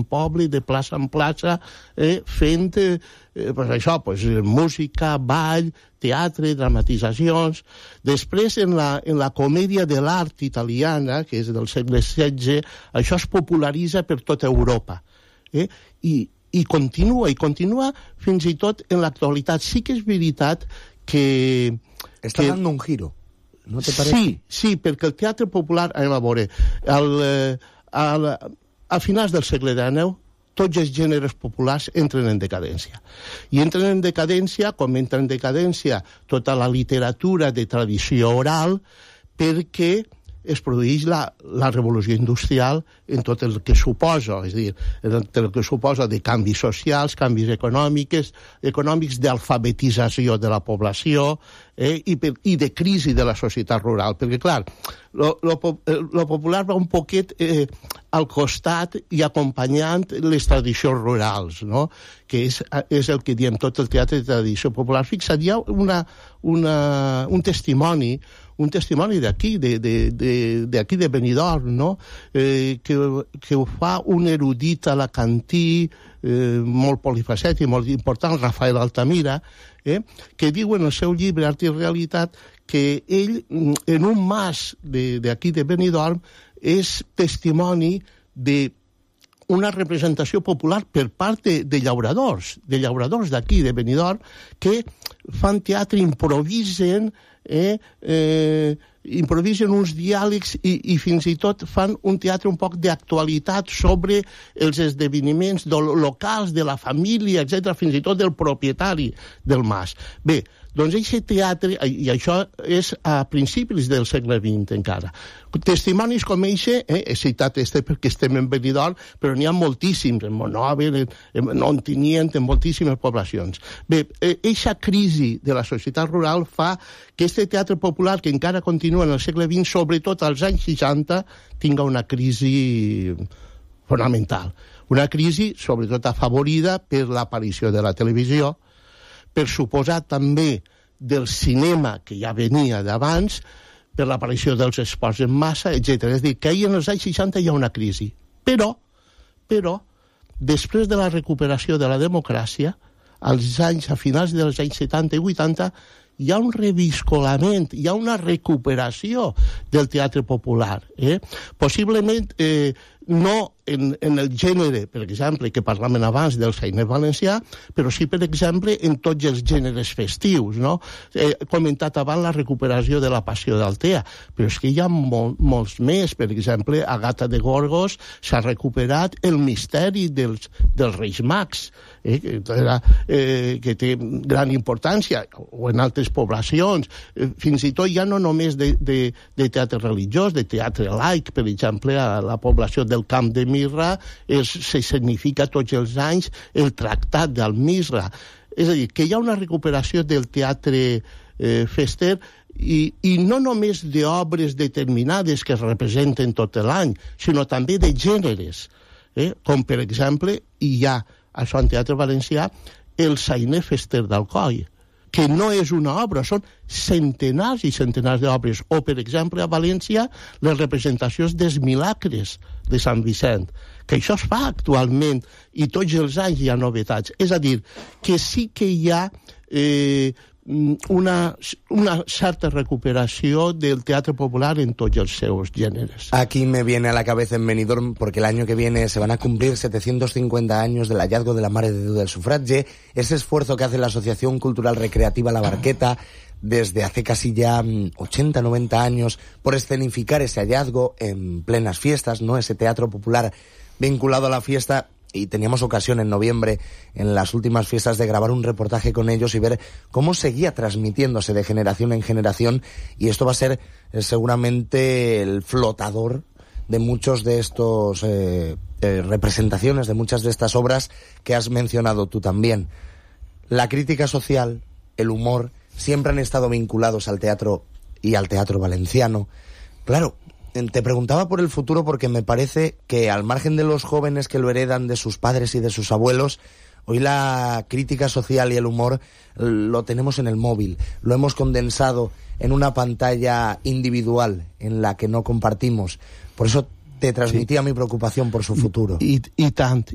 poble, de plaça en plaça, fent música, ball, teatre, dramatitzacions. Després, en la comèdia de l'art italiana, que és del segle XVI, això es popularitza per tota Europa. I continua fins i tot en l'actualitat. Sí que és veritat que... Està dando un giro, ¿no te parece? Sí, perquè el teatre popular, anem a veure, a finals del segle XIX, tots els gèneres populars entren en decadència. I entren en decadència, com entra en decadència tota la literatura de tradició oral, perquè es produeix la revolució industrial en tot el que suposa, és a dir, en el que suposa de canvis socials, canvis econòmics, d'alfabetització de la població i de crisi de la societat rural. Perquè, clar, lo popular va un poquet al costat i acompanyant les tradicions rurals, no? Que és el que diem tot el teatre de tradició popular. Fixa't, hi ha un testimoni d'aquí, d'aquí de Benidorm, no? Que ho fa un erudit alacantí molt polifacètic, molt important, Rafael Altamira, que diu en el seu llibre Art i Realitat que ell, en un mas d'aquí de Benidorm, és testimoni d'una representació popular per part de llauradors d'aquí de Benidorm, que fan teatre, improvisen uns diàlegs i fins i tot fan un teatre un poc d'actualitat sobre els esdeveniments locals de la família, etc., fins i tot del propietari del mas. Bé, doncs aquest teatre, i això és a principis del segle XX encara, testimonis com eixe, he citat perquè estem en Benidorm, però n'hi ha moltíssims, en Monòver, en Ontinyent, en moltíssimes poblacions. Bé, eixa crisi de la societat rural fa que este teatre popular, que encara continua en el segle XX, sobretot als anys 60, tinga una crisi fonamental. Una crisi, sobretot, afavorida per l'aparició de la televisió, per suposar també del cinema, que ja venia d'abans, per l'aparició dels esports en massa, etc. És a dir, que ahir en els anys 60 hi ha una crisi. Però, després de la recuperació de la democràcia, a finals dels anys 70 i 80, hi ha un reviscolament, hi ha una recuperació del teatre popular. Possiblement no en el gènere, per exemple, que parlàvem abans del sainet valencià, però sí, per exemple, en tots els gèneres festius, no? He comentat abans la recuperació de la Passió d'Altea, però és que hi ha molts més. Per exemple, a Gata de Gorgos s'ha recuperat el misteri dels Reis Mags, que té gran importància, o en altres poblacions, fins i tot ja no només de teatre religiós, de teatre laic, per exemple, a la població del Camp de Mirra se significa tots els anys el Tractat d'Almisra. És a dir, que hi ha una recuperació del teatre fester i no només d'obres determinades que es representen tot l'any, sinó també de gèneres, com per exemple hi ha, això en teatre valencià, el sainet fester d'Alcoi, que no és una obra, són centenars i centenars d'obres. O, per exemple, a València, les representacions dels Milagres de Sant Vicent, que això es fa actualment, i tots els anys hi ha novetats. És a dir, que sí que hi ha una certa recuperació del teatre popular en tots els seus gèneres. Aquí me viene a la cabeza en Benidorm, porque el año que viene se van a cumplir 750 años del hallazgo de la Mare de Déu del Sufragi, ese esfuerzo que hace la Asociación Cultural Recreativa La Barqueta desde hace casi ya 80, 90 años por escenificar ese hallazgo en plenas fiestas, ¿no? Ese teatro popular vinculado a la fiesta. Y teníamos ocasión en noviembre, en las últimas fiestas, de grabar un reportaje con ellos y ver cómo seguía transmitiéndose de generación en generación, y esto va a ser seguramente el flotador de muchos de estos representaciones, de muchas de estas obras que has mencionado tú también. La crítica social, el humor, siempre han estado vinculados al teatro y al teatro valenciano. Claro, te preguntaba por el futuro porque me parece que, al margen de los jóvenes que lo heredan de sus padres y de sus abuelos, hoy la crítica social y el humor lo tenemos en el móvil. Lo hemos condensado en una pantalla individual en la que no compartimos. Por eso te transmitía mi preocupación por su futuro. I tant.